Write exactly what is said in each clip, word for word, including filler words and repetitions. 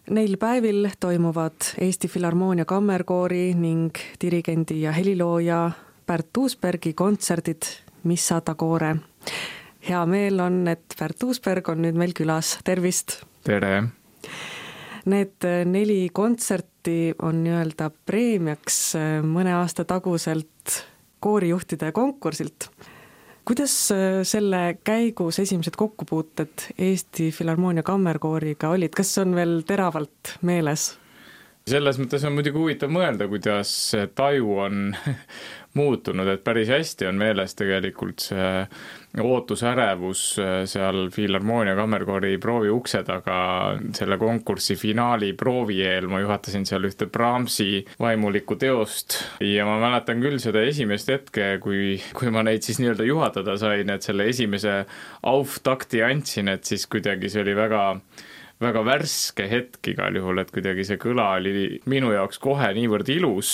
Neil päevil toimuvad Eesti Filharmoonia kammerkoori ning dirigendi ja helilooja Pärt Uusbergi kontserdid Missa d'Agore. Hea meel on, et Pärt Uusberg on nüüd meil külas. Tervist! Tere! Need neli kontserti on nii-öelda preemiaks mõne aasta taguselt koorijuhtide konkursilt. Kuidas selle käigus esimesed kokkupuuted Eesti Filharmoonia kammerkooriga olid? Kas on veel teravalt meeles? Selles mõttes on muidugi huvitav mõelda, kuidas taju on muutunud, et päris hästi on meeles tegelikult see ootusärevus seal Filharmoonia kammerkoori proovi ukse taga selle konkursi finaali proovi eel. Ma juhatasin seal ühte Brahmsi vaimulikku teost ja ma mäletan küll seda esimest hetke, kui, kui ma neid siis nii-öelda juhatada sain, et selle esimese auftakti andsin, et siis kuidagi see oli väga väga värske hetk igal juhul, et kuidagi see kõla oli minu jaoks kohe niivõrd ilus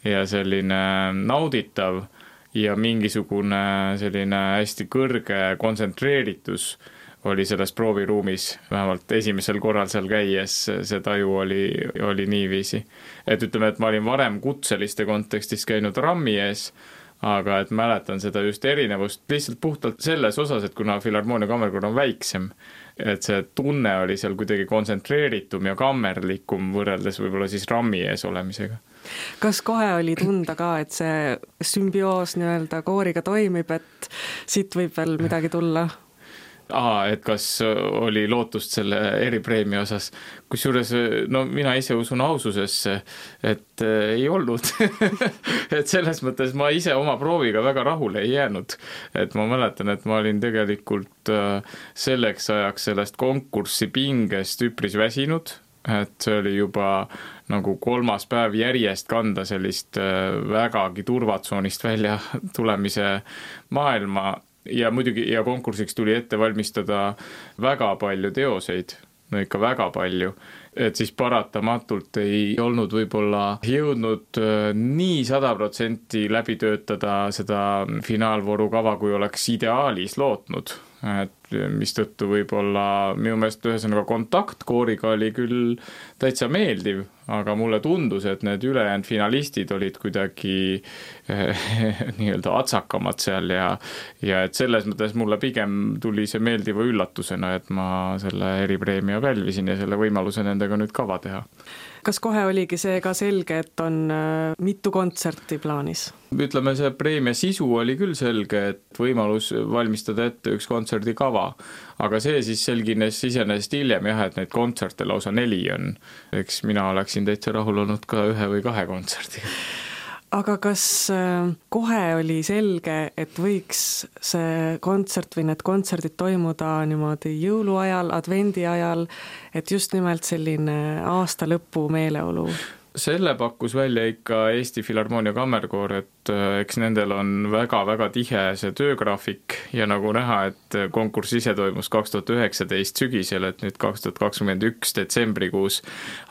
ja selline nauditav ja mingisugune selline hästi kõrge kontsentreeritus oli selles prooviruumis, vähemalt esimesel korral seal käies see taju oli, oli niiviisi. Et ütleme, et ma olin varem kutseliste kontekstis käinud rammi ees, aga et mäletan seda just erinevust lihtsalt puhtalt selles osas, et kuna Filharmoonia kammerkoor on väiksem, et see tunne oli seal kuidagi kontsentreeritum ja kammerlikum võrreldes võib-olla siis rammi ees olemisega. Kas kohe oli tunda ka, et see sümbioos nii-öelda kooriga toimib, et siit võib veel midagi tulla? Aha, et kas oli lootust selle eripreemia osas. Kusjuures, no mina ise usun aususesse, et ei olnud. Et selles mõttes ma ise oma prooviga väga rahule ei jäänud. Et ma mäletan, et ma olin tegelikult selleks ajaks sellest konkurssi pingest üpris väsinud. Et see oli juba nagu kolmas päev järjest kanda sellist vägagi turvatsoonist välja tulemise maailma. Ja muidugi ja konkursiks tuli ette valmistada väga palju teoseid, no ikka väga palju, et siis paratamatult ei olnud võib-olla jõudnud nii sada protsenti läbi töötada seda finaalvooru kava, kui oleks ideaalis lootnud. Et mis tõttu võib-olla minu meelest ühesõnaga kontakt kooriga oli küll täitsa meeldiv, aga mulle tundus, et need ülejäänud finalistid olid kuidagi eh, nii-öelda atsakamad seal ja, ja et selles mõttes mulle pigem tuli see meeldiva üllatusena, et ma selle eripreemia pälvisin ja selle võimaluse nendega nüüd kava teha. Kas kohe oligi see ka selge, et on mitu kontserti plaanis? Ütleme, see preemia sisu oli küll selge, et võimalus valmistada ette üks kontserdi kava, aga see siis selgines isenest hiljem jah, et neid kontserte lausa neli on. Eks mina oleksin täitsa rahul olnud ka ühe või kahe kontserdiga. Aga kas kohe oli selge, et võiks see kontsert või need kontserdid toimuda niimoodi jõuluajal, advendi ajal, et just nimelt selline aasta lõpu meeleolu? Selle pakkus välja ikka Eesti Filharmoonia kammerkoor, et eks nendel on väga-väga tihe see töögraafik ja nagu näha, et konkurss ise toimus kaks tuhat üheksateist sügisel, et nüüd kaks tuhat kakskümmend üks detsembrikuus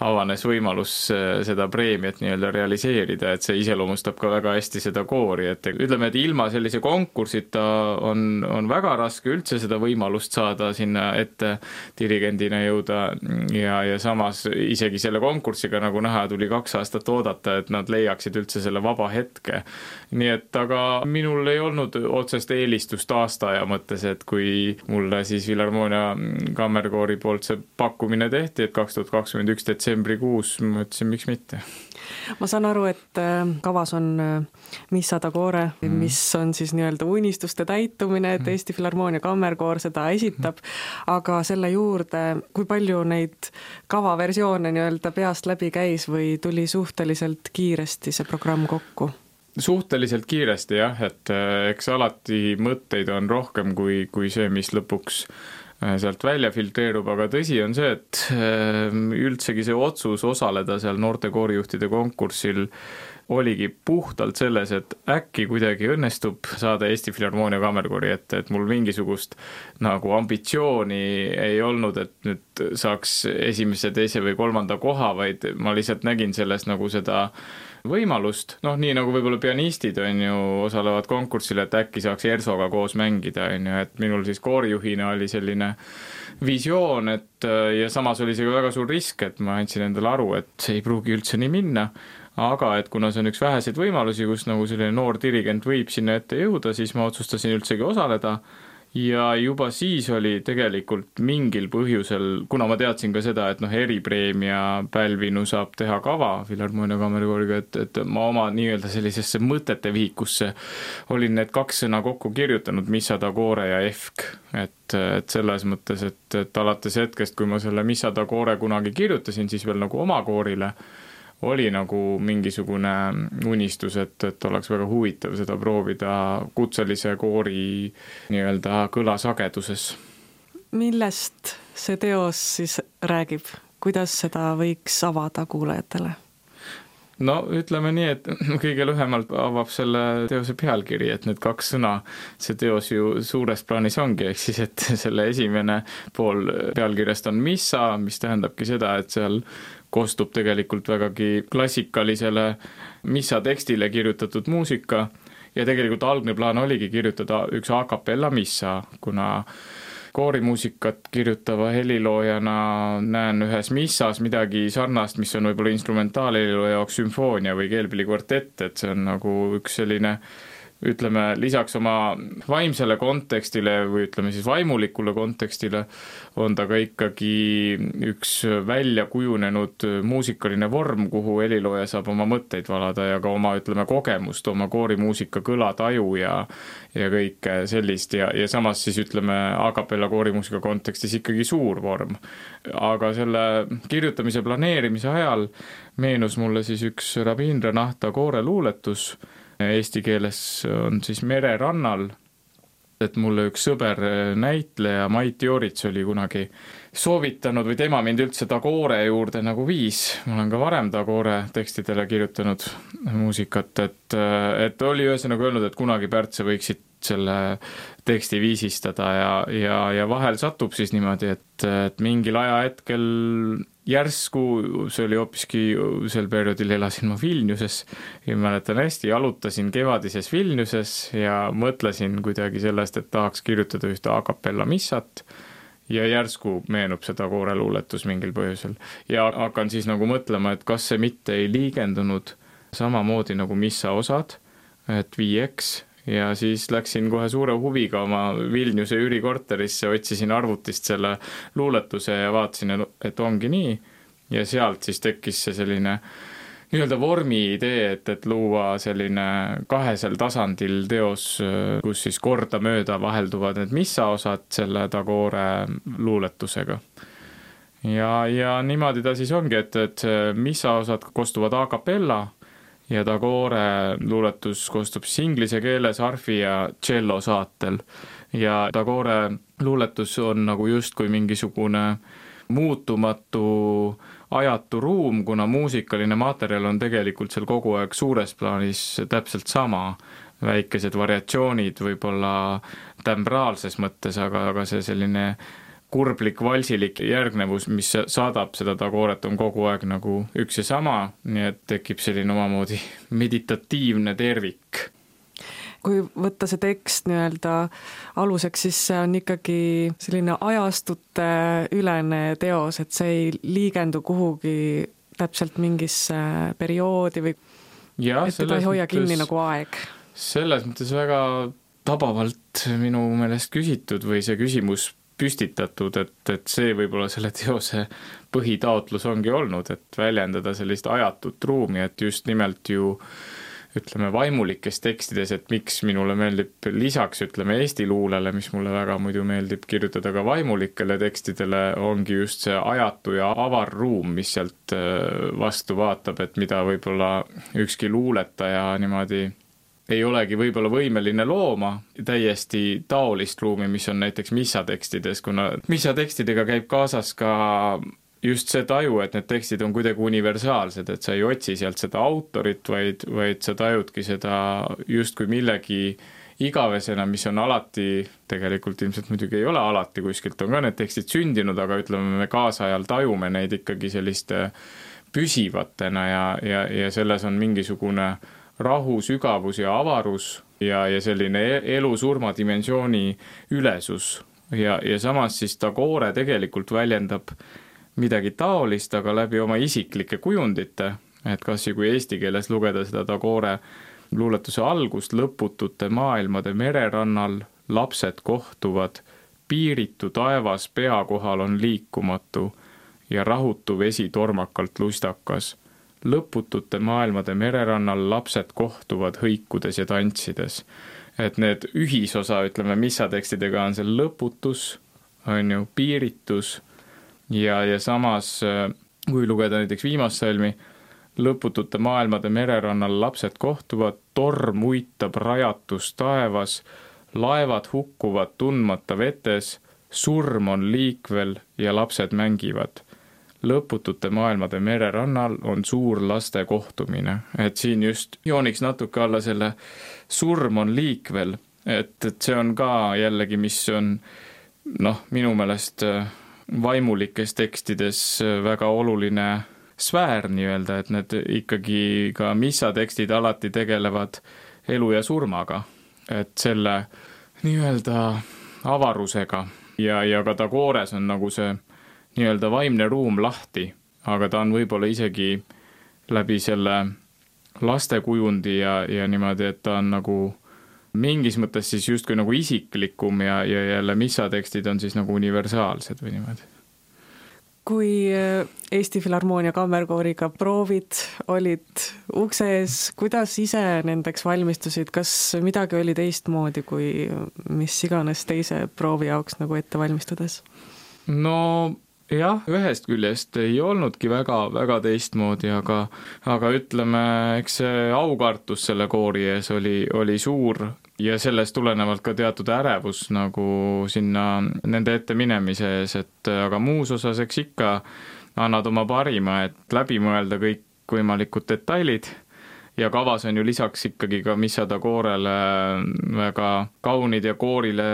avanes võimalus seda preemiat nii-öelda realiseerida, et see iseloomustab ka väga hästi seda koori, et ütleme, et ilma sellise konkursita on, on väga raske üldse seda võimalust saada sinna ette dirigendina jõuda ja, ja samas isegi selle konkursiga nagu näha tuli kaks aastat oodata, et nad leiaksid üldse selle vaba hetke. Nii et aga minul ei olnud otsest eelistust aastaaja mõttes, et kui mulle siis Filharmoonia kammerkoori poolt see pakkumine tehti, et kaks tuhat kakskümmend üks detsembrikuus, ma ütlesin, miks mitte. Ma saan aru, et kavas on Missa d'Agore, mis on siis nii-öelda unistuste täitumine, et Eesti Filharmoonia kammerkoor seda esitab, aga selle juurde, kui palju neid kavaversioone nii-öelda peast läbi käis või tuli suhteliselt kiiresti see programm kokku? Suhteliselt kiiresti jah, et eks alati mõtteid on rohkem kui, kui see, mis lõpuks sealt välja filtreerub, aga tõsi on see, et üldsegi see otsus osaleda seal noorte koorijuhtide konkursil oligi puhtalt selles, et äkki kuidagi õnnestub saada Eesti Filharmoonia kammerkoori ette, et mul mingisugust nagu ambitsiooni ei olnud, et nüüd saaks esimese, teise või kolmanda koha, vaid ma lihtsalt nägin selles nagu seda võimalust, noh nii nagu võib-olla pianistid on ju, osalevad konkursil, et äkki saaks Ersoga koos mängida, on ju, et minul siis koorijuhina oli selline visioon, et ja samas oli see ka väga suur risk, et ma andsin endale aru, et see ei pruugi üldse nii minna, aga et kuna see on üks väheseid võimalusi, kus nagu selline noor dirigent võib sinna ette jõuda, siis ma otsustasin üldsegi osaleda ja juba siis oli tegelikult mingil põhjusel, kuna ma teadsin ka seda, et noh, eripreemia pälvinu saab teha kava Filharmoonia Kammerkooriga, et, et ma oma nii-öelda sellisesse mõtete vihikusse olin need kaks sõna kokku kirjutanud, Missa d'Agore ja Efk, et, et selles mõttes, et, et alates hetkest, kui ma selle Missa d'Agore kunagi kirjutasin, siis veel nagu oma koorile, oli nagu mingisugune unistus, et, et oleks väga huvitav seda proovida kutselise koori nii-öelda kõlasageduses. Millest see teos siis räägib? Kuidas seda võiks avada kuulajatele? No ütleme nii, et kõige lühemalt avab selle teose pealkiri, et need kaks sõna, see teos ju suures plaanis ongi, ehk siis, et selle esimene pool pealkirjast on Missa, mis tähendabki seda, et seal kostub tegelikult vägagi klassikalisele Missa tekstile kirjutatud muusika ja tegelikult algne plaan oligi kirjutada üks a cappella Missa, kuna koorimuusikat kirjutava heliloojana näen ühes missas midagi sarnast, mis on võib-olla instrumentaalheliloo jaoks sümfoonia või keelpillikvartett, et see on nagu üks selline ütleme, lisaks oma vaimsele kontekstile või ütleme siis vaimulikule kontekstile on ta ka ikkagi üks välja kujunenud muusikaline vorm, kuhu helilooja saab oma mõtteid valada ja ka oma, ütleme, kogemust, oma koorimuusika kõlataju ja, ja kõike sellist ja, ja samas siis ütleme a cappella koorimuusika kontekstis ikkagi suur vorm. Aga selle kirjutamise planeerimise ajal meenus mulle siis üks Rabindra Nath Tagore luuletus, eesti keeles on siis Mererannal, et mulle üks sõber näitleja Mait Joorits oli kunagi soovitanud või tema mind üldse Tagore juurde nagu viis. Ma olen ka varem Tagore tekstidele kirjutanud muusikat, et, et oli ühesõnaga öelnud, et kunagi Pärt, sa võiksid selle teksti viisistada ja, ja, ja vahel satub siis niimoodi, et, et mingil ajahetkel järsku, see oli hoopiski sel perioodil elasin ma Vilniuses ja mäletan hästi, jalutasin kevadises Vilniuses ja mõtlesin kuidagi sellest, et tahaks kirjutada ühte a cappella missat ja järsku meenub seda kooreluuletus mingil põhjusel. Ja hakkan siis nagu mõtlema, et kas see mitte ei liigendunud samamoodi nagu missa osad, et viieks, ja siis läksin kohe suure huviga oma Vilniuse üürikorterisse, otsisin arvutist selle luuletuse ja vaatasin, et ongi nii. Ja sealt siis tekkis see selline nii-öelda vormi idee, et, et luua selline kahesel tasandil teos, kus siis korda mööda vahelduvad need missa osad selle Tagore luuletusega. Ja, ja niimoodi ta siis ongi, et, et missa osad kostuvad a cappella, ja Tagore luuletus koostub siis inglise keeles harfi ja cello saatel. Ja Tagore luuletus on nagu justkui mingisugune muutumatu ajatu ruum, kuna muusikaline materjal on tegelikult seal kogu aeg suures plaanis täpselt sama. Väikesed variatsioonid võib-olla tembraalses mõttes, aga, aga see selline kurblik, valsilik järgnevus, mis saadab seda Tagoret, on kogu aeg nagu üks ja sama, nii et tekib selline omamoodi meditatiivne tervik. Kui võtta see tekst nii-öelda aluseks, siis see on ikkagi selline ajastute ülene teos, et see ei liigendu kuhugi täpselt mingisse perioodi või ja, et teda ei hoia mõttes, kinni nagu aeg. Selles mõttes väga tabavalt minu meelest küsitud või see küsimus püstitatud, et, et see võib-olla selle teose põhitaotlus ongi olnud, et väljendada sellist ajatut ruumi, et just nimelt ju ütleme vaimulikes tekstides, et miks minule meeldib lisaks ütleme eesti luulele, mis mulle väga muidu meeldib kirjutada ka vaimulikele tekstidele, ongi just see ajatu ja avar ruum, mis sealt vastu vaatab, et mida võib-olla ükski luuletaja niimoodi ei olegi võib-olla võimeline looma täiesti taolist ruumi, mis on näiteks missa tekstides, kuna missa tekstidega käib kaasas ka just see taju, et need tekstid on kuidagi universaalsed, et sa ei otsi sealt seda autorit, vaid, vaid sa tajudki seda justkui millegi igavesena, mis on alati, tegelikult ilmselt muidugi ei ole alati, kuskilt on ka need tekstid sündinud, aga ütleme me kaasajal tajume neid ikkagi selliste püsivatena ja, ja, ja selles on mingisugune rahu, sügavus ja avarus ja, ja selline elu-surma dimensiooni ülesus. Ja, ja samas siis Tagore tegelikult väljendab midagi taolist, aga läbi oma isiklike kujundite, et kas ja kui eesti keeles lugeda seda Tagore luuletuse algust, lõputute maailmade mererannal lapsed kohtuvad, piiritu taevas pea kohal on liikumatu ja rahutu vesi tormakalt lustakas. Lõputute maailmade mererannal lapsed kohtuvad hõikudes ja tantsides. Et need ühisosa, ütleme, missatekstidega on see lõputus, on ju, piiritus ja, ja samas, kui lugeda näiteks viimast salmi, lõputute maailmade mererannal lapsed kohtuvad, torm uitab rajatus taevas, laevad hukkuvad tundmata vetes, surm on liikvel ja lapsed mängivad. Lõputute maailmade mererannal on suur laste kohtumine. Et siin just jooniks natuke alla selle surm on liikvel, et, et see on ka jällegi, mis on noh, minu meelest vaimulikes tekstides väga oluline sfäär nii-öelda, et need ikkagi ka missatekstid alati tegelevad elu ja surmaga, et selle nii-öelda avarusega ja, ja ka Tagores on nagu see nii-öelda vaimne ruum lahti, aga ta on võib-olla isegi läbi selle lastekujundi ja, ja niimoodi, et ta on nagu mingis mõttes siis justkui nagu isiklikum ja, ja jälle missatekstid on siis nagu universaalsed või niimoodi. Kui Eesti Filharmoonia Kammerkooriga proovid olid ukse ees, kuidas ise nendeks valmistusid? Kas midagi oli teistmoodi kui mis iganes teise proovi jaoks nagu ette valmistudes? No jah, ühest küljest ei olnudki väga, väga teistmoodi, aga, aga ütleme, eks see aukartus selle koori ees oli, oli suur ja sellest tulenevalt ka teatud ärevus nagu sinna nende ette minemise ees, et aga muus osas eks ikka annad oma parima, et läbi mõelda kõik võimalikud detailid ja kavas on ju lisaks ikkagi ka Missa Tagorele väga kaunid ja koorile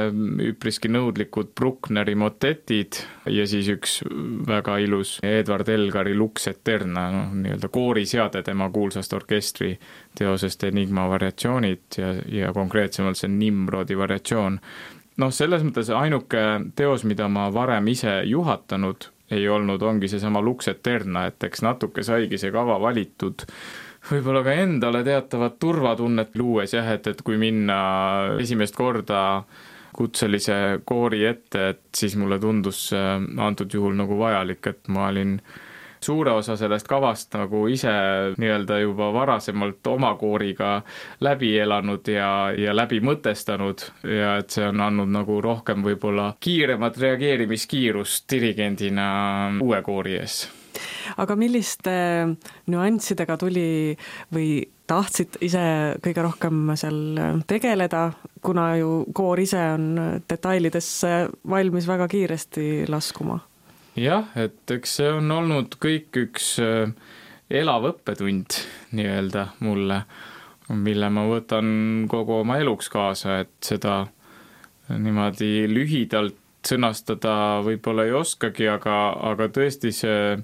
üpriski nõudlikud Bruckneri motetid ja siis üks väga ilus Edward Elgari Lux Eterna, no, nii-öelda kooriseade tema kuulsast orkestri teosest Enigma variatsioonid ja, ja konkreetsemalt see Nimrodi variatsioon. No selles mõttes ainuke teos, mida ma varem ise juhatanud ei olnud, ongi see sama Lux Eterna, et eks natuke saigi see kava valitud võib-olla ka endale teatavat turvatunnet luues jah, et, et kui minna esimest korda kutselise koori ette, et siis mulle tundus antud juhul nagu vajalik, et ma olin suure osa sellest kavast nagu ise nii-öelda juba varasemalt oma kooriga läbi elanud ja, ja läbi mõtestanud ja et see on andnud nagu rohkem võib-olla kiiremat reageerimiskiirust dirigendina uue koori ees. Aga milliste nüanssidega tuli või tahtsid ise kõige rohkem seal tegeleda, kuna ju koor ise on detailidesse valmis väga kiiresti laskuma? Jah, et eks see on olnud kõik üks elav õppetund nii-öelda mulle, mille ma võtan kogu oma eluks kaasa, et seda niimoodi lühidalt sõnastada võib-olla ei oskagi, aga, aga tõesti see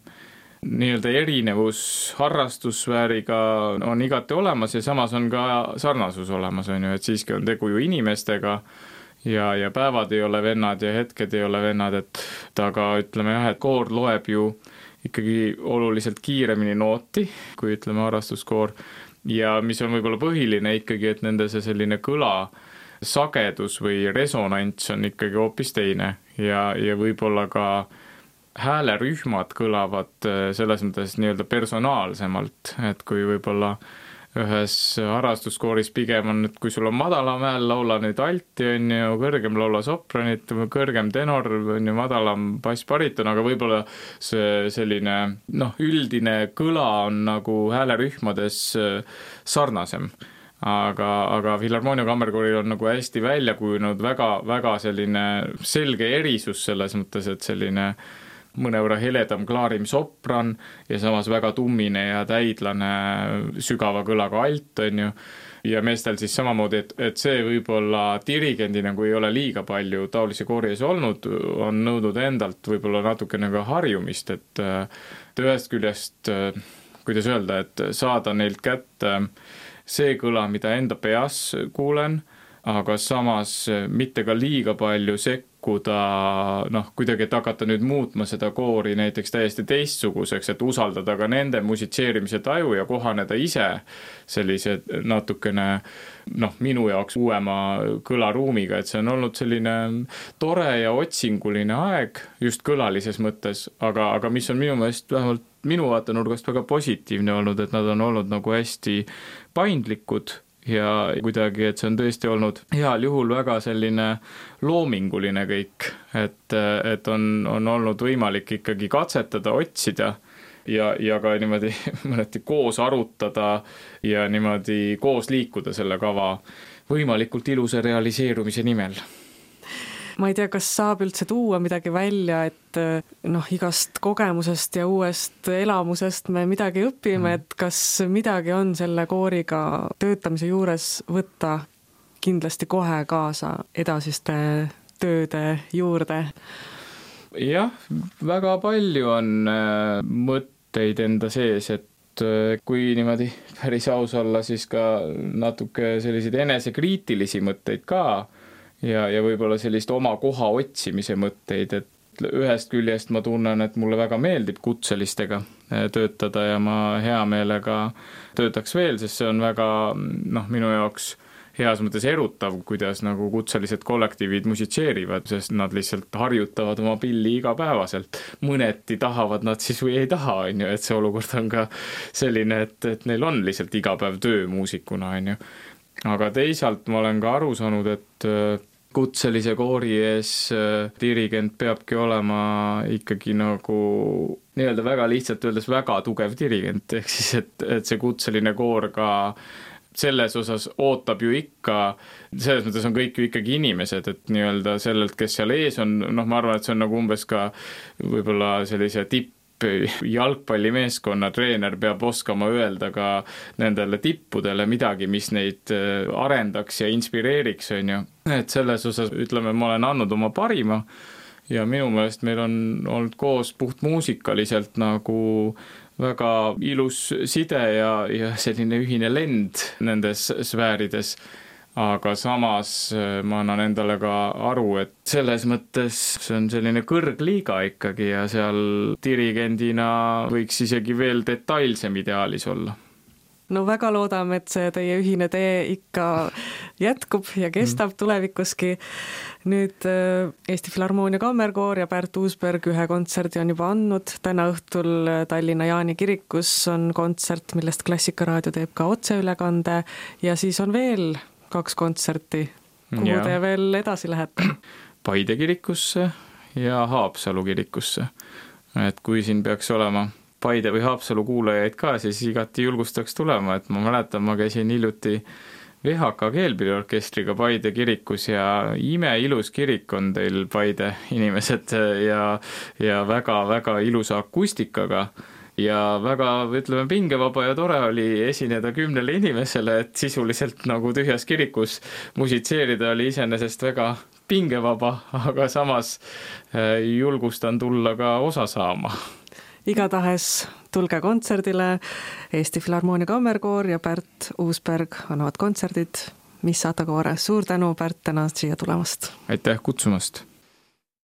nii-öelda erinevus harrastussfääriga on igati olemas ja samas on ka sarnasus olemas, on ju, et siiski on tegu ju inimestega ja, ja päevad ei ole vennad ja hetked ei ole vennad, et aga ütleme jah, et koor loeb ju ikkagi oluliselt kiiremini nooti, kui ütleme harrastuskoor ja mis on võib-olla põhiline ikkagi, et nende see selline kõla sagedus või resonants on ikkagi hoopis teine ja, ja võib-olla ka häälerühmad kõlavad selles mõttes nii-öelda personaalsemalt, et kui võib-olla ühes harrastuskooris pigem on, et kui sul on madalam hääl, laula nüüd alti, on ju, kõrgem laula sopranit, kõrgem tenor, on ju, madalam bassbariton, aga võib-olla see selline noh, üldine kõla on nagu häälerühmades sarnasem. Aga, aga Filharmoonia Kammerkooril on nagu hästi välja kujunenud väga, väga selline selge erisus selles mõttes, et selline mõnevõrra heledam klaarim sopran ja samas väga tummine ja täidlane sügava kõlaga alt, on ju. Ja meestel siis samamoodi, et, et see võib-olla dirigendina, kui ei ole liiga palju taolisi koori ees olnud, on nõudnud endalt võib-olla natukene ka harjumist, et, et ühest küljest, kuidas öelda, et saada neilt kätte see kõla, mida enda peas kuulen, aga samas mitte ka liiga palju sekkuda, noh, kuidagi, et hakata nüüd muutma seda koori näiteks täiesti teistsuguseks, et usaldada ka nende musitseerimise taju ja kohaneda ise sellise natukene, noh, minu jaoks uuema kõlaruumiga, et see on olnud selline tore ja otsinguline aeg just kõlalises mõttes, aga, aga mis on minu meelest vähemalt minu vaatenurgast väga positiivne olnud, et nad on olnud nagu hästi paindlikud ja kuidagi, et see on tõesti olnud heal juhul väga selline loominguline kõik, et, et on, on olnud võimalik ikkagi katsetada, otsida ja, ja ka niimoodi mõneti koos arutada ja niimoodi koos liikuda selle kava võimalikult ilusa realiseerumise nimel. Ma ei tea, kas saab üldse tuua midagi välja, et noh, igast kogemusest ja uuest elamusest me midagi õpime, et kas midagi on selle kooriga töötamise juures võtta kindlasti kohe kaasa edasiste tööde juurde? Jah, väga palju on mõtteid enda sees, et kui niimoodi päris aus olla, siis ka natuke selliseid enesekriitilisi mõtteid ka, ja, ja võib-olla sellist oma koha otsimise mõtteid, et ühest küljest ma tunnen, et mulle väga meeldib kutselistega töötada ja ma hea meelega töötaks veel, sest see on väga, noh, minu jaoks heas mõttes erutav, kuidas nagu kutselised kollektiivid musitseerivad, sest nad lihtsalt harjutavad oma pilli igapäevaselt. Mõneti tahavad nad siis või ei taha, on ju, et see olukord on ka selline, et, et neil on lihtsalt igapäev töö muusikuna, on ju. Aga teisalt ma olen ka aru saanud, et kutselise koori ees dirigent peabki olema ikkagi nagu nii-öelda väga lihtsalt öeldes väga tugev dirigent, ehk siis, et, et see kutseline koor ka selles osas ootab ju ikka, selles mõttes on kõik ju ikkagi inimesed, et nii-öelda sellelt, kes seal ees on, noh, ma arvan, et see on nagu umbes ka võib-olla sellise tipp jalgpallimeeskonna treener peab oskama öelda ka nendele tippudele midagi, mis neid arendaks ja inspireeriks, on ju. Et selles osas, ütleme, ma olen andnud oma parima ja minu meelest meil on olnud koos puht muusikaliselt nagu väga ilus side ja, ja selline ühine lend nendes sfäärides. Aga samas ma annan endale ka aru, et selles mõttes see on selline kõrgliiga ikkagi ja seal dirigendina võiks isegi veel detailsem ideaalis olla. No väga loodame, et see teie ühine tee ikka jätkub ja kestab tulevikuski. Nüüd Eesti Filharmoonia Kammerkoor ja Pärt Uusberg ühe kontserdi on juba andnud. Täna õhtul Tallinna Jaani kirikus on kontsert, millest Klassikaraadio teeb ka otseülekande ja siis on veel kaks kontserti. Kuhu ja. Te veel edasi lähete? Paide kirikusse ja Haapsalu kirikusse. Et kui siin peaks olema Paide või Haapsalu kuulajaid ka, siis igati julgustaks tulema, et ma mäletan, ma käisin hiljuti V H K keelpilliorkestriga Paide kirikus ja imeilus kirik on teil Paide inimesed ja, ja väga-väga ilusa akustikaga. Ja väga, ütleme, pingevaba ja tore oli esineda kümnele inimesele, et sisuliselt nagu tühjas kirikus musitseerida oli iseenesest väga pingevaba, aga samas julgustan tulla ka osa saama. Igatahes tulge kontserdile, Eesti Filharmoonia Kammerkoor ja Pärt Uusberg annavad kontserdid Missata Koore. Suur tänu, Pärt, täna siia tulemast. Aitäh kutsumast!